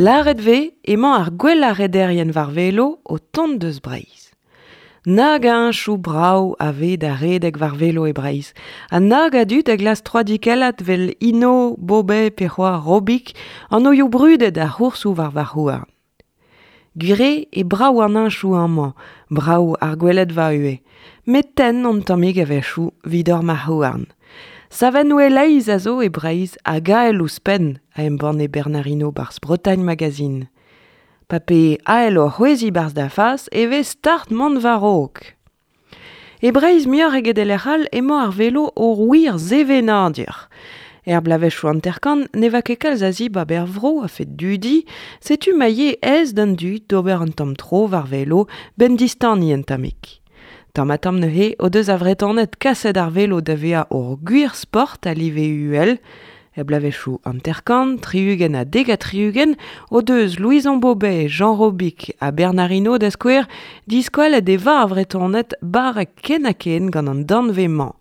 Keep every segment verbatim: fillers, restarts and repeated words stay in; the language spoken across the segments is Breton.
Lâret 'vez emañ ar gwellañ rederien war velo o tont deus Breizh. Nag a heñchoù brav a vez da redek war velo e Breizh, ha nag a dud a glask troadikellat 'vel Hinault, Bobet pe c'hoazh Robic, anvioù brudet ar c'hoursoù war varc'h-houarn. Gwir eo e brav an heñchoù amañ, brav ar gweledva ivez, met tenn an tammig a-wechoù 'vit hor marc'h-houarn. Savennoù e-leizh a zo e Breizh hag ael ouzhpenn, a embanne Bernard Hinault 'barzh Bretagne Magazine. Pa 'pez ael o c'hwezhiñ 'barzh da fas e vez start mont war-raok. E Breizh muioc'h eget e lec'h all emañ ar velo ur wir sevenadur. Er bloavezhioù hanter-kant ne oa ket kalz a zibab er vro a-fet dudi, setu ma eo aes d'an dud d'ober un tamm tro war velo 'benn distaniñ un tammig. Tamm-ha-tamm neuze o deus ar Vretoned kaset ar velo da vezañ ur gwir sport a live uhel. Er bloavezhioù hanter-kant, tri-ugent ha dek ha tri-ugent o deus Louison Bobet, Jean Robic ha Bernard Hinault da skouer diskoalet e oa ar Vretoned barrek ken-ha-ken gant an danvez-mañ.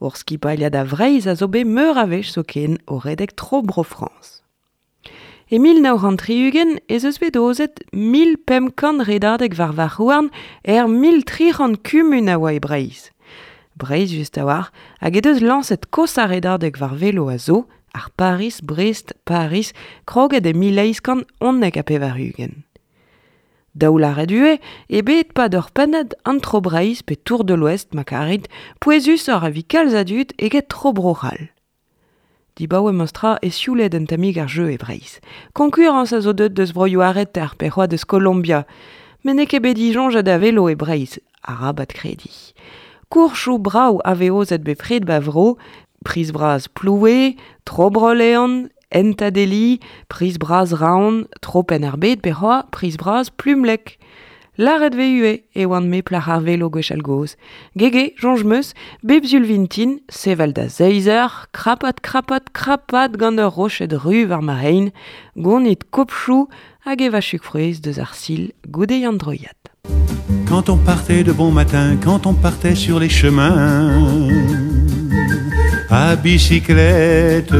Ur skipailhad a Vreizh a zo bet meur a wech zoken o redek tro Bro-Frañs. E mil nav c'hant tri-ugent ez eus bet aozet mil pemp kant redadeg war varc'h-houarn er mil tri c'hant kumun a oa e Breizh. Breizh just a-walc'h hag he deus lañset kosañ redadeg war velo a zo, ar Paris-Brest-Paris, kroget e mil eizh kant unnek ha pevar-ugent. Daou lâret ivez eo bet 'pad ur pennad an Tro Breizh pe Tour de l'Ouest ma karit, pouezusoc'h evit kalz a dud eget Tro Bro-C'hall. Dibaoe memes-tra e sioulet un tammig ar jeu e Breizh. Konkurañs a zo deuet deus broioù ar reter pe c'hoazh deus Kolombia. Met n'eo ket bet disoñjet a velo e Breizh, arabat krediñ. Koursoù brav a vez aozet bepred 'ba vro, Priz bras Ploue, Tro Bro-Leon, Hent-Adeli, Priz bras Raon, Tro Penn-ar-Bed pe c'hoazh Priz bras Plumlek. Lâret 'vez ivez e oan-me plac'h ar velo gwechall-gozh. Gege, soñj 'm eus, bep sul vintin, sevel da seizh eur, krapat, krapat, krapat gant ur roched ru war ma c'hein, gonit kopchoù hag evañ chug-frouezh deus ar sil goude an droiad. Quand on partait de bon matin, quand on partait sur les chemins, à bicyclette,